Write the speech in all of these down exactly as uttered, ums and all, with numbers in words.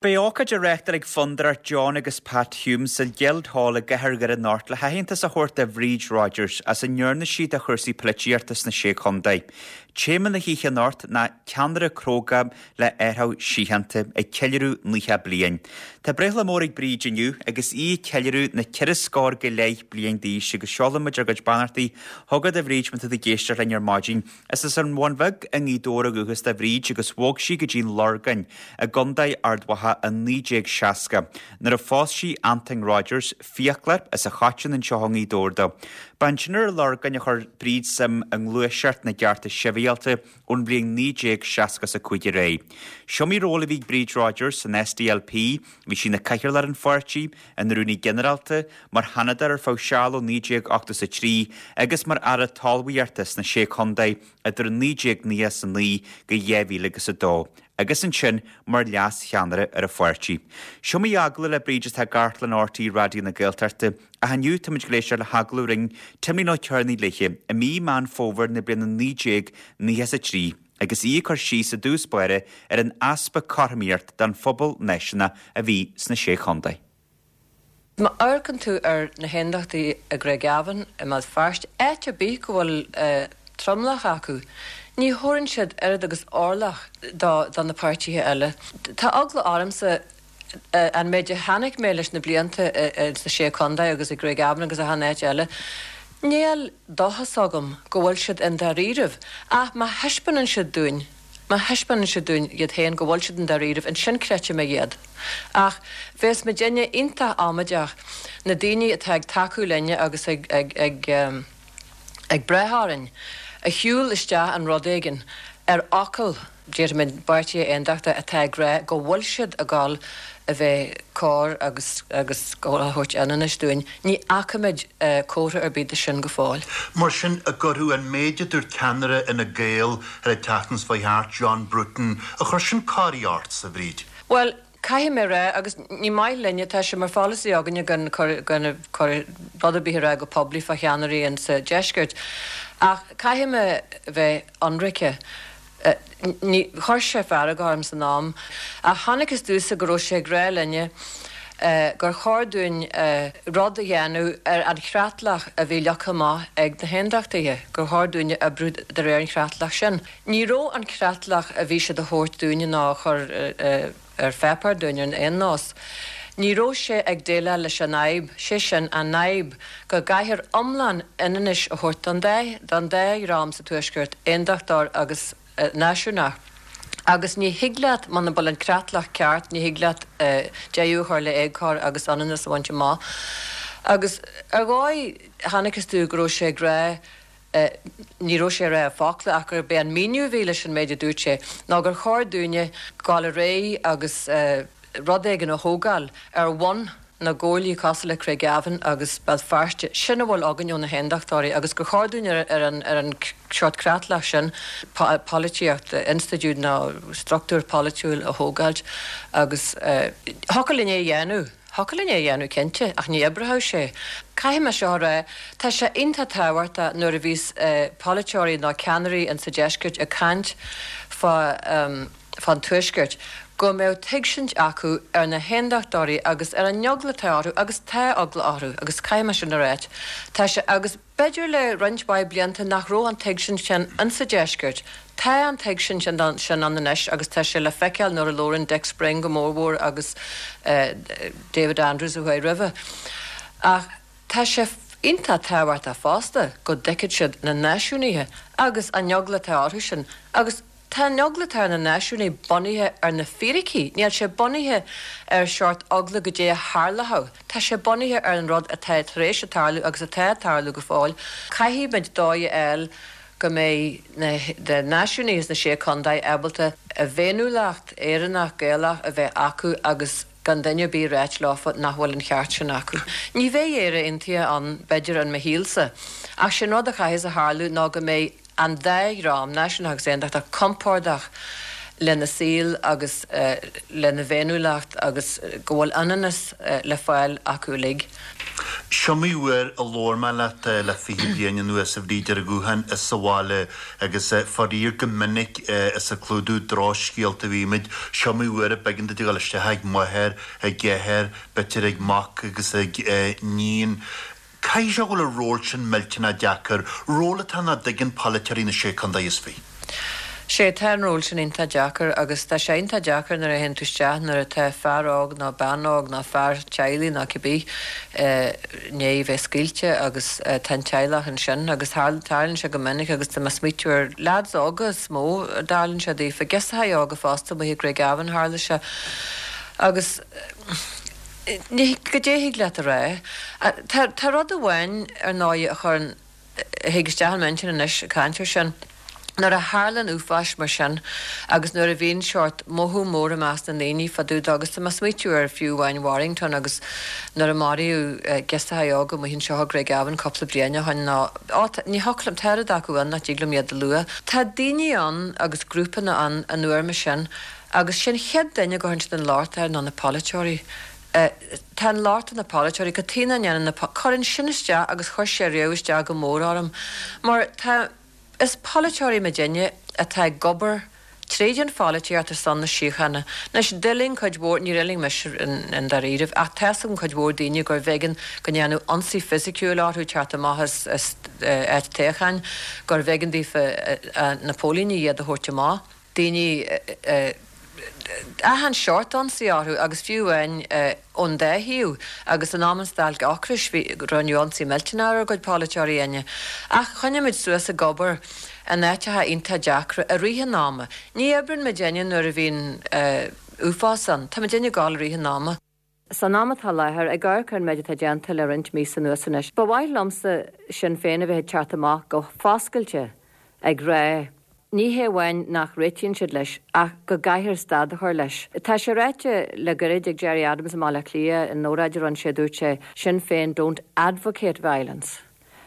Beidh ócáid á reáchtáil ag Fondúireacht John agus Pat Hume sa Guildhall i gCathair Dhoire anocht le haitheantas a thabhairt do Bhríd Rodgers as a ndearna sí do chúrsaí polaitíochta sna Sé Chontae. Téama na hoíche anocht ná ceannaire cróga le árthach síochánta ag ceiliúradh nócha bliain. Tá breithlá mór ag Bríd inniu agus í ag ceiliúradh na ceithre scór go leith bliain d'aois agus seolann muid ár gcuid beannachtaí chugat a Bhríd má tá tú ag éisteacht linn ar maidin. Is as an Bhun Bheag i nGaoth Dobhair ó dhúchas do Bhríd agus bhog sí go dtí an Lorgain i gContae Ard Mhacha i naoi déag seasca, nuair a phós sí Antain Rodgers, fiaclóir as an Choiteann anseo i nGaoth Dobhair dó. Ba ansin ar an Lorgain a chuir Bríd suim i ngluaiseacht na gcearta sibhialta ón bhliain naoi déag seasca is a cúig ar aghaidh. S'iomaí ról a bhí ag Bríd Rodgers san SDLP, bhí sí ina cathaoirleach ar an pháirtí, ina rúnaí ginearálta, mar sheanadóir ar feadh seal ó naoi déag ochtó is a trí agus mar aire talmhaíochta sna Sé Chontae idir naoi déag nócha is a naoi go dhá mhíle agus a dó. agus ansin mar leas-cheannaire ar an pháirtí. S'iomaí agallamh le Bríd atá i gcartlann RTÉ Raidió na Gaeltachta, ach inniu táimid ag éisteacht le hagallamh a rinne Timlín Ó Cearnaigh léi i mí Meán Fómhair na bliana naoi déag nócha is a trí agus í ag cur síos i dtús báire ar an easpa cothromaíocht don phobal náisiúnach a bhí sna Sé Chontae. Má amharcann tú ar na hAondachtaithe i gCraigavon, i mBéal Feirste, áit ar bith go bhfuil tromlach acu, ní thabharann siad oiread agus orlach do na páirtithe eile. Tá eagla ormsa an méid a chonaic mé leis na blianta sna Sé Chontae agus i gCraigavon agus achan áit eile, níl dóchas agam go bhfuil siad i ndáiríribh, ach má thaispeánann siad dúinn, má thaispeánann siad dúinn iad féin go bhfuil siad i ndáiríribh, ansin creidfidh mé iad. Ach bheas muidinne iontach amaideach, na daoine atá ag tacú linne agus ag ag ag ag brath orainn, a shiúl isteach in rud éigin ar fhocal, déarfaimid, páirtithe aontachtaithe atá ag rá go bhfuil siad ag dul a bheith cóir agus agus a thabhairt ionannais dúinn. Ní fhacaimid comhartha ar bith de sin go fóill. Mar sin, an gcuirfeadh an méid a dúirt ceannaire Fhine Gael ar an tseachtain seo chuaigh thart, John Bruton, ar chuir sin corraí ort, a Bhríd? Bhuel, caithfidh mé a rá, agus ní maith linne, tá sé mar pholasaí againne gan cur gan cur rud ar bith a rá go poiblí fá cheannairí insa deisceart, ach caithfidh mé bheith ionraice, ní, chuir sé fearg orm san am, ach chonacthas domhsa go raibh sé ag rá linne gur chóir dúinn rud a dhéanamh ar an chreatlach a bhí leagtha amach ag na hAondachtaithe, gur chóir dúinne oibriú de réir an chreatlach sin. Ní raibh an creatlach a bhí siad a thabhairt dúinne ná a chur ar pháipéar dúinn ar aon nós. Ní raibh sé ag déileáil leis an fhadhb, sé sin an fhadhb go gcaithfear iomlán ionannais a thabhairt don dá don dá dhream sa Tuaisceart, Aondachtóir agus Náisiúnach. Agus ní thig leat, muna bhfuil an creatlach ceart, ní thig leat deireadh a chur le éagcóir agus ionannas a bhaint amach. Agus ar dhóigh, chonacthas domh go raibh sé ag rá, ní raibh sé ag rá i bhfocla ach gurb é an míniú a bhí leis an méid a dúirt sé ná gur chóir dúinne dul ar aghaidh agus rud éigin a thógáil ar bhonn na gcomhairlí cosúil le Craigavon agus Béal Feirste, sin a bhfuil againn ó na hAondachtóirí agus gur chóir dúinn ar an ar an seort creatlach sin polaitíocht, institiúid nó struchtúr polaitiúil a thógáilt agus thiocfadh linn é a dhéanamh, thiocfadh linn é a dhéanamh cinnte ach ní oibreoidh sé. Caithfidh mé seo a rá, tá sé iontach tábhachtach nuair a bhíos polaiteoirí nó ceannairí insa deisceart ag caint fá fán Tuaisceart, go mbeadh tuigsint acu ar na hAondachtóirí agus ar an eagla atá orthu, agus tá eagla orthu, agus caithfidh mé sin a ráit. Tá sé, agus b'fhéidir le roinnt mhaith blianta nach raibh an tuigsint sin insa Deisceart. Tá an tuigsint sin ann anois agus tá sé le feiceáil nuair a labhrann Dick Spring go mórmhór agus David Andrews a chuaigh roimhe. Ach tá sé iontach tábhachtach fosta go dtuigfidh siad na náisiúnaithe agus an eagla atá orthu sin agus Tá an eagla atá ar na náisiúnaithe bunaithe ar na fíricí, níl sé bunaithe ar shórt eagla goidé a tharlódh, tá sé bunaithe ar an rud atá tar éis a tarlú agus atá ag tarlú go fóill. Caithfidh muid dóigh a fháil go mbeidh na náisiúnaithe sna Sé Chontae ábalta a bhféiniúlacht Éireannach, Gaelach a bheith acu agus gan duine ar bith a ráit leofa nach bhfuil an cheart sin acu. Ní bheidh Éire Aontaithe ann, b'fhéidir, in mo shaolsa, ach sé'n rud a chaithfeas a tharlú ná go mbeidh an dá dhream, náisiúnach agus aontachtach, compordach lena saol agus lena bhféiniúlacht agus go bhfuil ionannas le fáil acu uilig. Is iomaí uair a labhair mé leat le fiche bliain anuas, a Bhríd, ar an ghuthán is sa bhaile agus faraor go minic is ag clúdú drochscéalta a bhímid. Is iomaí uair a b'éigean duit a dhul isteach ag máthair, ag athair, b'fhéidir ag mac agus ag níon. Caithfidh sé go bhfuil an ról sin millteanach deacair, ról atá nach dtuigeann polaiteoirí na Sé Chontae is Fiche. Sé, tá an ról sin iontach deacair agus tá sé iontach deacair nuair a théann tú isteach nuair atá fear óg nó bean óg nó fear teaghlaigh nó cibé i ndiaidh bheith scaoilte agus tá an teaghlach ansin agus tarlaíonn sé go minic agus tá mé ag smaoitiú ar leaids óga is mó a dtarlaíonn sé daofa, girseachaí óga fosta, amuigh i gCraigavon tharla sé agus ní goidé thig leat a rá. Tá tá rud amháin ar ndóigh a chuireann a thig isteach i m'intinn anois ag caint air sin. Nuair a tharlaíonn uafáis mar sin agus nuair a bhíonn seort mothú mór i measc na ndaoine fá dtaobh de agus tá mé ag smaoitiú ar fiú amháin Warrington agus nuair a maraíodh girseachaí óga amuigh anseo i gCraigavon cúpla bliain ó shin nó á ní thiocfadh liom tá oiread acu ann nach dtig liom iad a lua. Tá daoine ann agus grúpanna ann an uair mar sin agus sé'n chéad duine a gcuireann siad an locht air ná na polaiteoirí. Tá an locht ar na polaiteoirí, cad chuige nach ndéanann na cuireann sin isteach agus chuir sé riamh isteach go mór orm mar tá Is polaiteoirí muidinne atá ag obair tríd an pholaitíocht ar son na síochána. Anois, d'fhulaing cuid mhór, níor fhulaing mise i ndáiríribh, ach tá's agam cuid mhór daoine gurbh éigean go ndearnadh ionsaí fisiciúil orthu teacht amach as áit toghcháin, gurbh éigean daofa na póilíní iad a thabhairt amach, daoine achan seort ionsaí orthu agus fiú amháin ón dá thaobh agus in am an stailc ocrais bhí rinneadh ionsaí millteanach ar ár gcuid polaiteoirí inne. Ach choinnigh muid suas ag obair in áiteacha iontach deacra i rith an ama. Ní oibreann muidinne nuair a bhíonn uafás ann. Tá muidinne ag gabháil i rith an ama. San am atá i láthair, ag amharc ar an méid atá déanta le roinnt míosa anuas anois, ba mhaith liomsa Sinn Féin a bheith ag teacht amach go foscailte ag rá, ní hé amháin nach réitíonn siad leis, ach go gcaithfear stad a chur leis. Tá sé ráite le gairid ag Gerry Adams i mBaile Átha Cliath in óráid a rinne sé, dúirt sé, Sinn Féin don't advocate violence.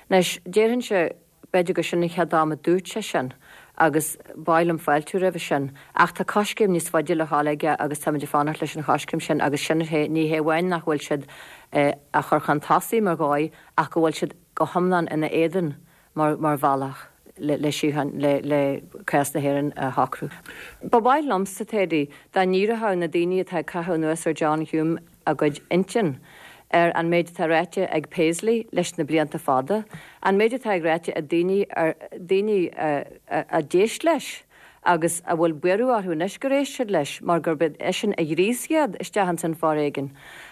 Anois, déarfainnse, b'fhéidir gur sin an chéad am a dúirt sé sin agus ba mhaith liom fáiltiú roimhe sin, ach tá coiscéim níos faide le dhul aige agus táimid ag fanacht leis an choiscéim sin agus sin é, ní hé amháin nach bhfuil siad á chur chun tosaigh mar dhóigh ach go bhfuil siad go hiomlán ina éadan mar mar bhealach le le síocháin le le cás na hÉireann a shocrú. Ba mhaith liomsa, Teddy, dá ndíreodh na daoine atá ag caitheamh anuas ar John Hume a gcuid intinn ar an méid atá ráite ag Paisley leis na blianta fada, an méid atá ag ráite ag daoine ar daoine a d'éist leis agus a bhfuil buaireamh orthu anois gur éist siad leis mar gurb eisean a ghríos iad isteach ins an foréigean.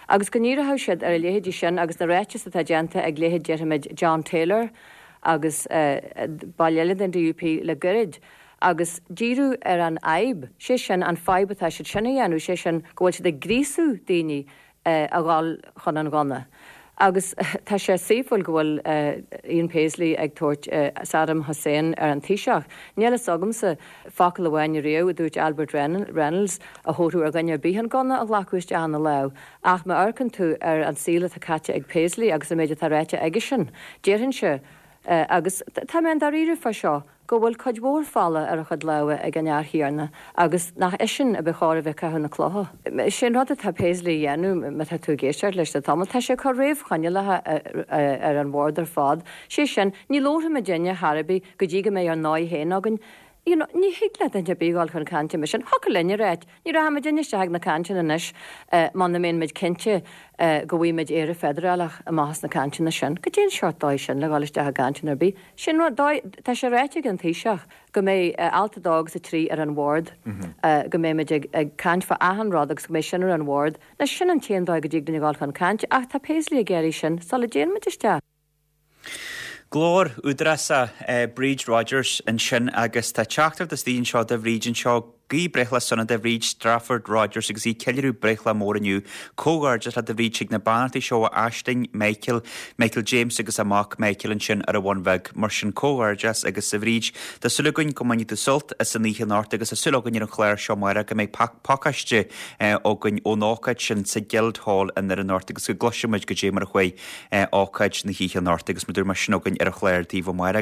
Agus go ndíreodh siad ar a leithéidí sin agus na ráitis atá déanta ag leithéid déarfaimid John Taylor agus baill eile den DUP le gairid agus díriú ar an fhadhb, sé sin an fadhb atá siad sin a dhéanamh, sé sin go bhfuil siad ag gríosú daoine a dhul chun an ghunna. Agus tá sé saoithiúil go bhfuil Ian Paisley ag tabhairt Saddam Hussein ar an Taoiseach. Níl fhios agamsa focal amháin riamh a dúirt Albert Reynolds a thabharfadh ar dhuine ar bith an gunna a ghlacadh isteach ina lámh. Ach má amharcann tú ar an saol atá caite ag Paisley agus an méid atá ráite aigesean, déarfainnse, Agus tá mé an-dáiríre fá seo, go bhfuil cuid mhór fola ar a chuid lámha ag an fhear chéanna agus nach eisean a ba chóir a bheith ag caitheamh na cloiche. Sé an rud atá Paisley a dhéanamh, má tá tú ag éisteacht leis le tamall, tá sé ag cur réamhchoinníollacha ar an bhord ar fad. Sé sin, ní labharfaidh muidinne chor ar bith go dtí go mbeidh ár ndóigh féin againn. You know, ní thig le duine ar bith dhul chun cainte mar sin. Thiocfadh linn a ráit, ní rachaidh muidinne isteach ag na cainteanna anois muna mbíonn muid cinnte go bhfaighidh muid Éire feidearálach amach as na cainteanna sin. Goidé an seort dóigh sin le dhul isteach i gcainteanna ar bith. Sin rud, dóigh, tá sé ráite ag an Taoiseach go mbeidh alt a dó agus a trí ar an bhord, go mbeidh muid ag, ag caint fá achan rud agus go mbeidh sin ar an bhord. Anois sin an t-aon dóigh go dtig linn a dhul chun cainte ach tá Paisley ag iarraidh sin sula dtéann muid isteach. Glór údarásach Bríd Rodgers ansin agus tá teachtaireacht istigh anseo do Bhríd anseo. Guí breithlá sona do Bhríd Strafford Rodgers agus í ag ceiliúradh breithlá mór inniu. Comhghairdeas leat a Bhríd chuig na beannachtaí seo ó Aisling, Michael, Michael James agus a mac Michael ansin ar an Bhun Bheag. Mar sin comhghairdeas agus a Bhríd, tá súil againn go mbainfidh tú sult as an oíche anocht agus tá súil againn ar an chlár seo amárach go mbeidh pacáiste againn ón ócáid sin sa Guildhall i nDoire anocht agus go gcloisfidh muid goidé mar a chuaigh ócáid na hoíche anocht agus mar a dúirt mé sin againn ar an chlár daoibh amárach.